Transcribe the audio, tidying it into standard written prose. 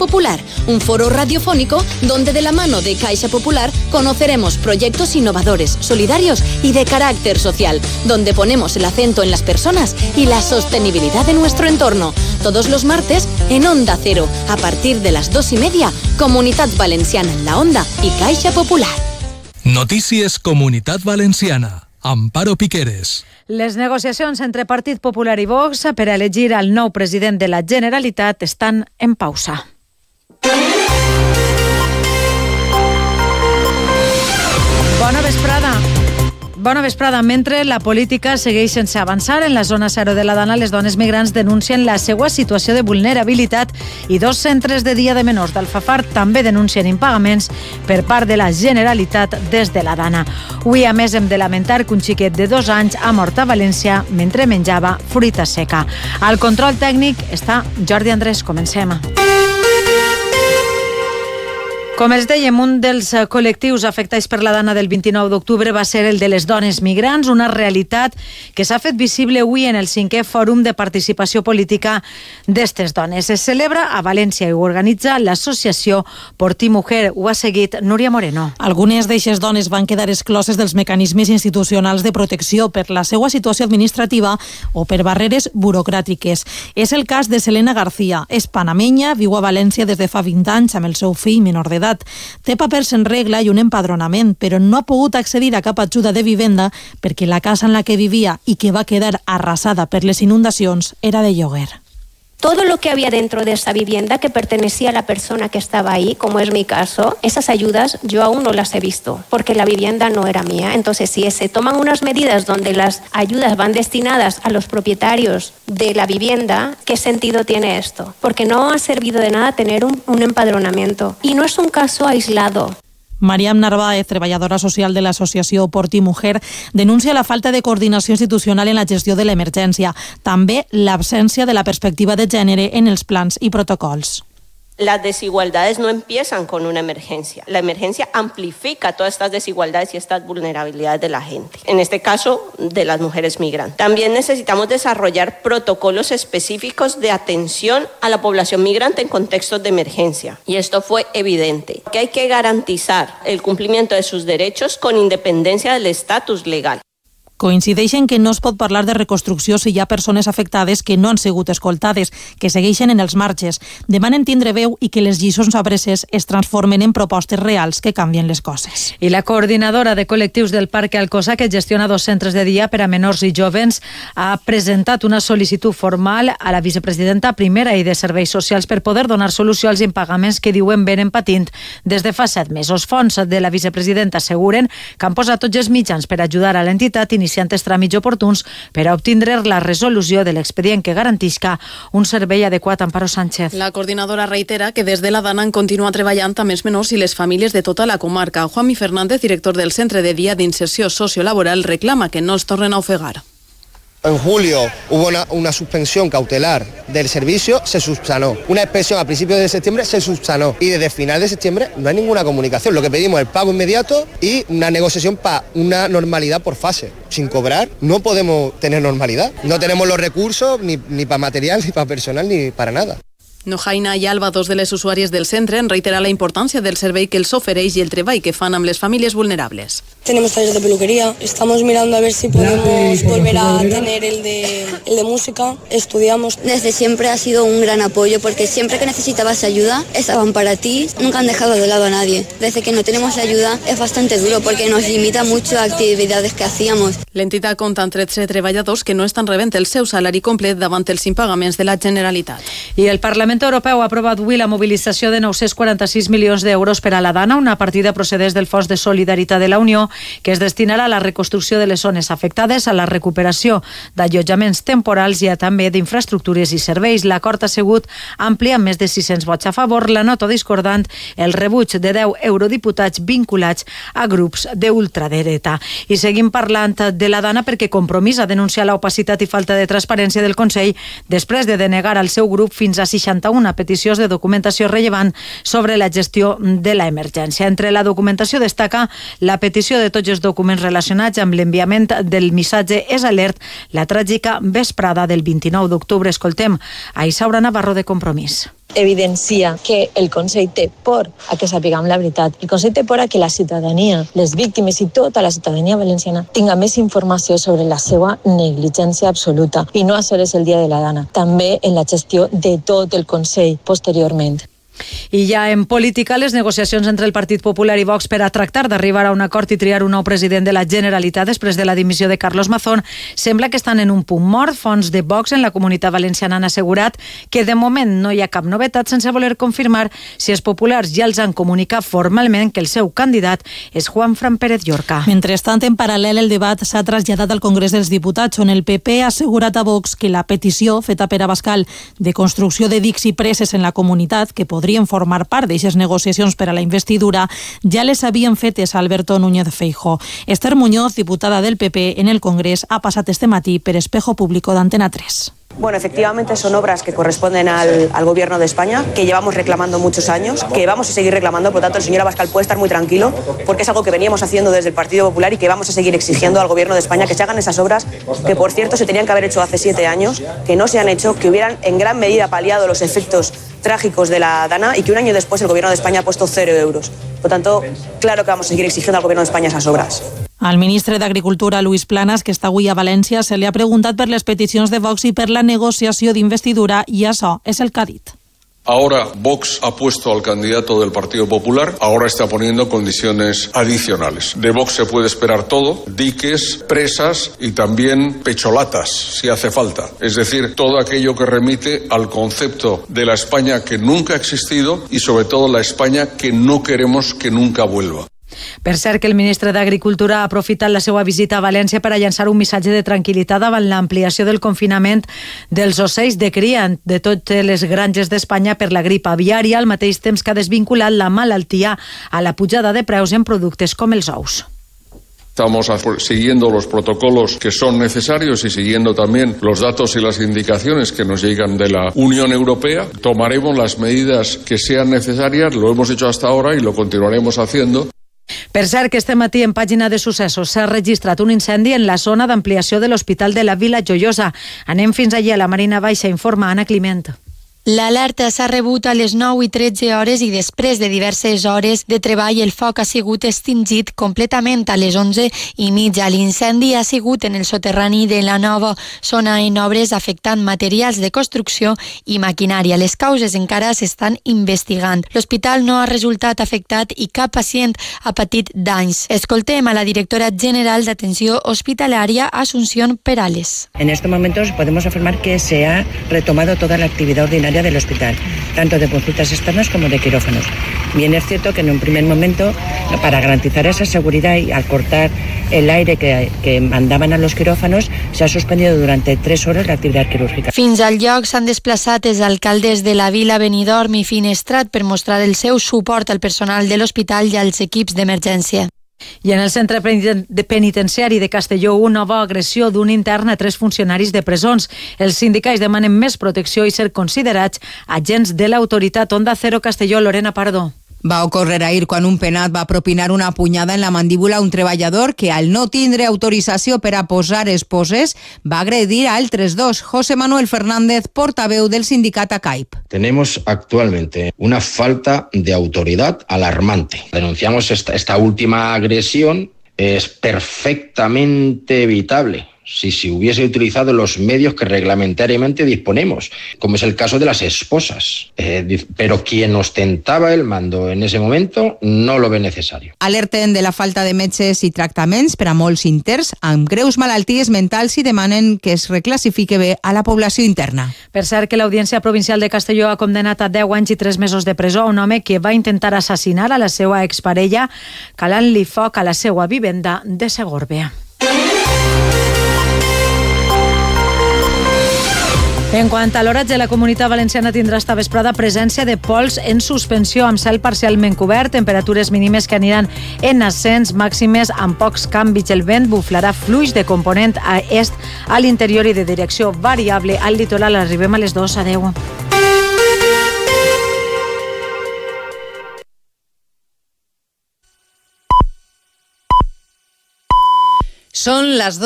Popular, un foro radiofónico donde de la mano de Caixa Popular conoceremos proyectos innovadores, solidarios y de carácter social, donde ponemos el acento en las personas y la sostenibilidad de nuestro entorno. Todos los martes en Onda Cero, a partir de las 2:30, Comunitat Valenciana en la Onda y Caixa Popular. Notícies Comunitat Valenciana. Amparo Piqueres. Les negociacions entre Partit Popular i Vox per a elegir el nou president de la Generalitat estan en pausa. Bona vesprada. Bona vesprada. Mentre la política segueix sense avançar, en la zona 0 de la Dana les dones migrants denuncien la seva situació de vulnerabilitat i 2 centres de dia de menors d'Alfafar també denuncien impagaments per part de la Generalitat des de la Dana. Avui, a més, hem de lamentar que un xiquet de 2 anys ha mort a València mentre menjava fruita seca. Al control tècnic està Jordi Andrés. Comencem. Com els dèiem, un dels col·lectius afectats per la Dana del 29 d'octubre va ser el de les dones migrants, una realitat que s'ha fet visible avui en el 5è Fòrum de Participació Política d'estes dones. Es celebra a València i ho organitza l'associació Por Ti Mujer. Ho ha seguit Núria Moreno. Algunes d'eixes dones van quedar excloses dels mecanismes institucionals de protecció per la seva situació administrativa o per barreres burocràtiques. És el cas de Selena García. És panamenya, viu a València des de fa 20 anys amb el seu fill menor d'edat. Té papers en regla i un empadronament, però no ha pogut accedir a cap ajuda de vivenda perquè la casa en la que vivia i que va quedar arrasada per les inundacions era de lloguer. Todo lo que había dentro de esa vivienda que pertenecía a la persona que estaba ahí, como es mi caso, esas ayudas yo aún no las he visto, porque la vivienda no era mía. Entonces, si se toman unas medidas donde las ayudas van destinadas a los propietarios de la vivienda, ¿qué sentido tiene esto? Porque no ha servido de nada tener un empadronamiento. Y no es un caso aislado. Mariam Narváez, treballadora social de l'associació Por Ti Mujer, denuncia la falta de coordinació institucional en la gestió de l'emergència, també l'absència de la perspectiva de gènere en els plans i protocols. Las desigualdades no empiezan con una emergencia. La emergencia amplifica todas estas desigualdades y estas vulnerabilidades de la gente, en este caso de las mujeres migrantes. También necesitamos desarrollar protocolos específicos de atención a la población migrante en contextos de emergencia. Y esto fue evidente, que hay que garantizar el cumplimiento de sus derechos con independencia del estatus legal. Coincideixen que no es pot parlar de reconstrucció si hi ha persones afectades que no han sigut escoltades, que segueixen en els marges. Demanen tindre veu i que les lliçons apreses es transformen en propostes reals que canvien les coses. I la coordinadora de col·lectius del Parc Alcosa, que gestiona 2 centres de dia per a menors i jovens, ha presentat una sol·licitud formal a la vicepresidenta primera i de Serveis Socials per poder donar solució als impagaments que diuen venen patint des de fa 7 mesos. Fons de la vicepresidenta asseguren que han posat tots els mitjans per ajudar a l'entitat iniciant els tràmits oportuns per a obtindre la resolució de l'expedient que garantisca un servei adequat. Amparo Sánchez. La coordinadora reitera que des de la Dana han continuat treballant amb els menors i les famílies de tota la comarca. Juanmi Fernández, director del Centre de Dia d'Inserció Sociolaboral, reclama que no els tornen a ofegar. En julio hubo una suspensión cautelar del servicio, se subsanó. Una inspección a principios de septiembre se subsanó. Y desde final de septiembre no hay ninguna comunicación. Lo que pedimos es el pago inmediato y una negociación para una normalidad por fase. Sin cobrar no podemos tener normalidad. No tenemos los recursos ni para material, ni para personal, ni para nada. Nojaina i Alba, 2 de les usuàries del centre, han reiterat la importància del servei que els ofereix i el treball que fan amb les famílies vulnerables. Tenemos talleres de peluquería, estamos mirando a ver si podemos volver a tener el de música, estudiamos. Desde siempre ha sido un gran apoyo porque siempre que necesitabas ayuda estaban para ti, nunca han dejado de lado a nadie. Desde que no tenemos ayuda es bastante duro porque nos limita mucho a actividades que hacíamos. L'entitat compta amb 13 treballadors que no estan rebent el seu salari complet davant els impagaments de la Generalitat. I el Parlament Europeu ha aprovat avui la mobilització de 946 milions d'euros per a la Dana, una partida procedent del Fons de Solidaritat de la Unió que es destinarà a la reconstrucció de les zones afectades, a la recuperació d'allotjaments temporals i a també d'infraestructures i serveis. L'acord ha sigut ampli amb més de 600 vots a favor, la nota discordant el rebuig de 10 eurodiputats vinculats a grups d'ultradreta. I seguim parlant de la Dana perquè Compromís ha denunciat l'opacitat i falta de transparència del Consell després de denegar al seu grup fins a 61 peticions de documentació rellevant sobre la gestió de l'emergència. Entre la documentació destaca la petició de tots els documents relacionats amb l'enviament del missatge És Alert, la tràgica vesprada del 29 d'octubre. Escoltem a Isaura Navarro de Compromís. evidencia que el Consell té por a que sapiguem la veritat. El Consell té por a que la ciutadania, les víctimes i tota la ciutadania valenciana tinga més informació sobre la seva negligència absoluta i no a sols el dia de la dana, també en la gestió de tot el Consell posteriorment. I ja en política, les negociacions entre el Partit Popular i Vox per a tractar d'arribar a un acord i triar un nou president de la Generalitat després de la dimissió de Carlos Mazón sembla que estan en un punt mort. Fonts de Vox en la Comunitat Valenciana han assegurat que de moment no hi ha cap novetat, sense voler confirmar si els populars ja els han comunicat formalment que el seu candidat és Juanfran Pérez Llorca. Mentrestant, en paral·lel, el debat s'ha traslladat al Congrés dels Diputats, on el PP ha assegurat a Vox que la petició feta per Abascal de construcció de dics i preses en la comunitat, que podrien formar part d'aixes negociacions per a la investidura, ja les havien fetes a Alberto Núñez Feijóo. Esther Muñoz, diputada del PP en el Congrés, ha passat este matí per Espejo Público d'Antena 3. Bueno, efectivamente son obras que corresponden al Gobierno de España, que llevamos reclamando muchos años, que vamos a seguir reclamando. Por lo tanto, el señor Abascal puede estar muy tranquilo, porque es algo que veníamos haciendo desde el Partido Popular y que vamos a seguir exigiendo al Gobierno de España que se hagan esas obras, que por cierto se tenían que haber hecho hace 7 años, que no se han hecho, que hubieran en gran medida paliado los efectos trágicos de la Dana y que un año después el Gobierno de España ha puesto 0 euros. Por tanto, claro que vamos a seguir exigiendo al Gobierno de España esas obras. Al ministre d'Agricultura, Luis Planas, que està avui a València, se li ha preguntat per les peticions de Vox i per la negociació d'investidura, i això és el que ha dit. Ahora Vox ha puesto al candidato del Partido Popular, ahora está poniendo condiciones adicionales. De Vox se puede esperar todo, diques, presas y también pecholatas, si hace falta. Es decir, todo aquello que remite al concepto de la España que nunca ha existido y sobre todo la España que no queremos que nunca vuelva. Per cert, que el ministre d'Agricultura ha aprofitat la seva visita a València per a llançar un missatge de tranquil·litat davant l'ampliació del confinament dels ocells de cria de totes les granges d'Espanya per la grip aviària, al mateix temps que ha desvinculat la malaltia a la pujada de preus en productes com els ous. Estamos siguiendo los protocolos que son necesarios y siguiendo también los datos y las indicaciones que nos llegan de la Unión Europea. Tomaremos las medidas que sean necesarias, lo hemos hecho hasta ahora y lo continuaremos haciendo. Per cert, que este matí en pàgina de successos s'ha registrat un incendi en la zona d'ampliació de l'Hospital de la Vila Joiosa. Anem fins allà, a la Marina Baixa, informa Anna Climent. L'alerta s'ha rebut a les 9:13 i després de diverses hores de treball el foc ha sigut extingit completament a les 11:30. L'incendi ha sigut en el soterrani de la nova zona en obres, afectant materials de construcció i maquinària. Les causes encara s'estan investigant. L'hospital no ha resultat afectat i cap pacient ha patit danys. Escoltem a la directora general d'Atenció Hospitalaria, Asunción Perales. En estos momentos podemos afirmar que se ha retomado toda la actividad ordinaria del hospital, tanto de consultas externas como de quirófanos. Bien, es cierto que en un primer momento, para garantizar esa seguridad y al cortar el aire que mandaban a los quirófanos, se ha suspendido durante 3 horas la actividad quirúrgica. Fins al lloc s'han desplaçat els alcaldes de la Vila, Benidorm i Finestrat per mostrar el seu suport al personal de l'hospital i als equips d'emergència. I en el centre penitenciari de Castelló, una nova agressió d'un intern a 3 funcionaris de presons. Els sindicats demanen més protecció i ser considerats agents de l'autoritat. Onda Cero Castelló, Lorena Pardo. Va ocórrer ahir quan un penat va propinar una punyada en la mandíbula a un treballador que, al no tindre autorització per a posar esposes, va agredir a altres 2. José Manuel Fernández, portaveu del sindicat ACAIP. Tenemos actualmente una falta de autoridad alarmante. Denunciamos esta última agresión. Es perfectamente evitable si se hubiese utilizado los medios que reglamentariamente disponemos, como es el caso de las esposas. Pero quien ostentaba el mando en ese momento no lo ve necesario. Alerten de la falta de metges i tractaments per a molts interns amb greus malalties mentals i demanen que es reclassifique bé a la població interna. Per cert, que l'Audiència Provincial de Castelló ha condemnat a 10 anys i 3 mesos de presó un home que va intentar assassinar a la seva exparella calant-li foc a la seva vivenda de Segòrbia. En quant a l'oratge, la Comunitat Valenciana tindrà esta vesprada presència de pols en suspensió amb cel parcialment cobert, temperatures mínimes que aniran en ascens, màximes amb pocs canvis. El vent buflarà fluix de component a est a l'interior i de direcció variable al litoral. Arribem a les 2. Adeu. Són les 2.